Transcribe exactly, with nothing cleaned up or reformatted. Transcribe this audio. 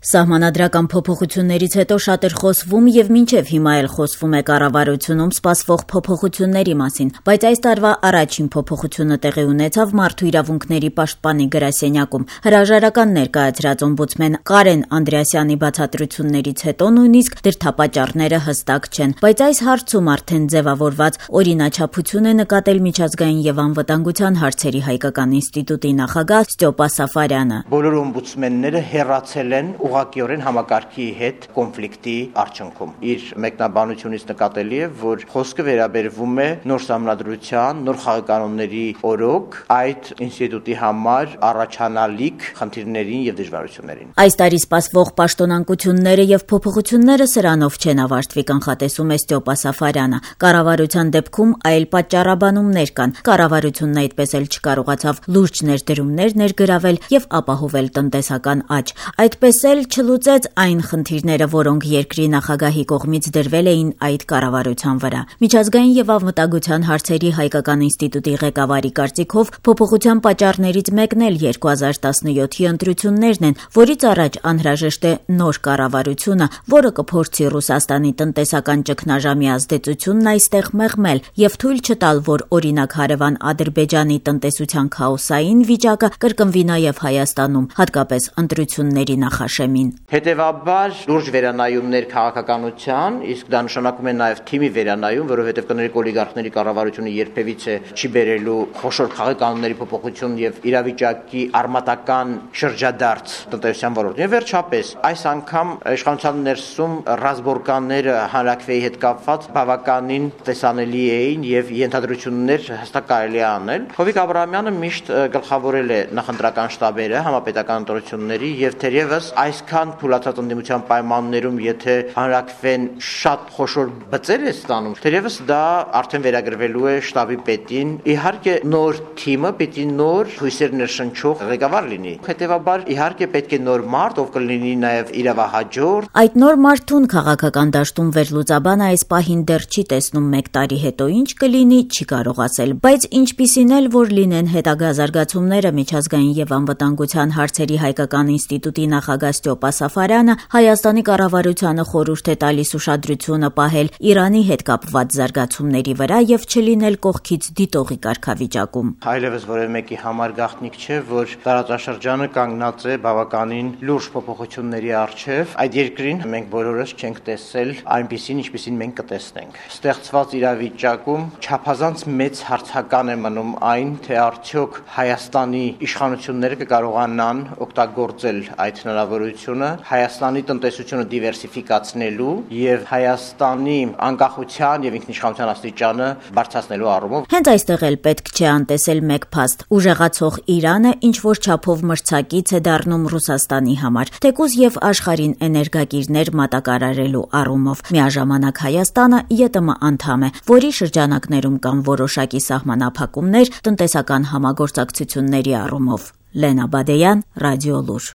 Սահմանադրական փոփոխություններից հետո շատ էր խոսվում եւ մինչեւ հիմա էլ խոսվում է կառավարությունում սպասվող փոփոխությունների մասին, բայց այս տարվա առաջին փոփոխությունը տեղի ունեցավ Մարդու իրավունքների պաշտպանի գրասենյակում։ Հրաժարական ներկայացրած օմբուդսմեն Կարեն Անդրեասյանի բացատրություններից հետո նույնիսկ դրդապատճառները հստակ չեն, բայց այս հարցում արդեն ձևավորված օրինաչափություն է նկատել միջազգային եւ անվտանգության հարցերի հայկական ինստիտուտի նախագահ Ստյոպա Սաֆարյանը։ Բոլոր օմբուդսմենները հեռացել են ուղղակիորեն համակարգի հետ կոնֆլիկտի արդյունքում։ Իր մեկնաբանությունից նկատելի է, որ խոսքը վերաբերվում է նոր սահմանադրության, նոր խաղականոնների օրոք այդ ինստիտուտի համար առաջանալիք խնդիրներին եւ դժվարություններին։ Այս տարի սպասվող պաշտոնանկությունները եւ փոփոխությունները սրանով չեն ավարտվի, կանխատեսում է Ստյոպա Սաֆարյանը։ Կառավարության դեպքում այլ պատճառաբանումներ կան։ Կառավարությունն այդպես էլ չկարողացավ լուրջ ներդրումներ ներգրավել եւ ապահովել տնտեսական աճ։ Այդպես էլ չլուծեց այն խնդիրները, որոնք երկրի նախագահի կողմից դրվել էին այդ կառավարության վրա։ Միջազգային եւ անվտանգության հարցերի հայկական ինստիտուտի ղեկավարի կարծիքով փոփոխության պատճառներից մեկն էլ երկու հազար տասնյոթի ընտրություններն են, որից առաջ անհրաժեշտ է նոր կառավարությունը, որը կփորձի Ռուսաստանի տնտեսական ճգնաժամի ազդեցությունն այստեղ մեղմել եւ թույլ չտալ, որ օրինակ հարևան Ադրբեջանի տնտեսության քաոսային վիճակը կրկնվի նաեւ Հայաստանում, հատկապես ընտրությունների նախաշեմին։ Հետևաբար լուրջ վերանայումներ քաղաքականության, իսկ դա նշանակում է նաև թիմի վերանայում, որովհետև կներեք օլիգարխների կառավարությունը երբևիցե չի բերելու խոշոր քաղաքականների փոփոխություն եւ իրավիճակի արմատական շրջադարձ տնտեսության ոլորտում։ Եվ վերջապես, այս անգամ իշխանության ներսում ռազմորկանները հանրակրվեի հետ կապված բավականին տեսանելի էին եւ ենթադրություններ հստակ կարելի է անել։ Հովիկ Աբրահամյանը միշտ գլխավորել է նախընտրական շտաբերը համապետական ընտրությունների եւ թերևս այսքան թույլատրած ընդդիմության պայմաններում, եթե հանրակրվեն շատ խոշոր բծեր է ստանում, թերևս դա արդեն վերագրվելու է շտաբի պետին։ Իհարկե նոր թիմը պիտի նոր հույսեր ներշնչող ղեկավար լինի։ Հետևաբար իհարկե պետք է նոր մարդ, ով կլինի նաեւ իրավահաջորդ։ Այդ նոր մարդուն քաղաքական դաշտում վերլուծաբանը այս պահին դեռ չի տեսնում մեկ տարի հետո ինչ կլինի, չի կարող ասել, բայց ինչպիսին էլ որ լինեն հետագա զարգացումները, միջազգային եւ անվտանգության հարցերի հայկական ինստիտուտի նախագահ Ստյոպա Սաֆարյանը Հայաստանի կառավարությանը խորհուրդ է տալիս ուշադրությունը պահել Իրանի հետ կապված զարգացումների վրա եւ չլինել կողքից դիտողի կարգավիճակում։ Այլևս որևէ մեկի համար գաղտնիք չէ, որ տարածաշրջանը կանգնած է բավականին լուրջ փոփոխությունների առջև։ Այդ երկրին մենք բոլորս չենք տեսել այնպիսին, ինչպիսին մենք կտեսնենք։ Ստեղծված իրավիճակում չափազանց մեծ հարցական է մնում այն, թե արդյոք Հայաստանի իշխանությունները կկարողանան օգտագործել այդ հնարավորությունը Հայաստանի տնտեսությունը դիվերսիֆիկացնելու եւ Հայաստանի անկախության եւ ինքնիշխանության աստիճանը բարձրացնելու առումով։ Հենց այստեղ էլ պետք չէ անտեսել մեկ փաստ. ուժեղացող Իրանը ինչ որ չափով մրցակից է դառնում Ռուսաստանի համար, թեկուզ եւ աշխարհին էներգակիրներ մատակարարելու առումով։ Միաժամանակ Հայաստանը ԵՏՄ անդամ է, որի շրջանակներում կան որոշակի սահմանափակումներ տնտեսական համագործակցությունների առումով։ Լենա Բադեյան, Ռադիոլուր։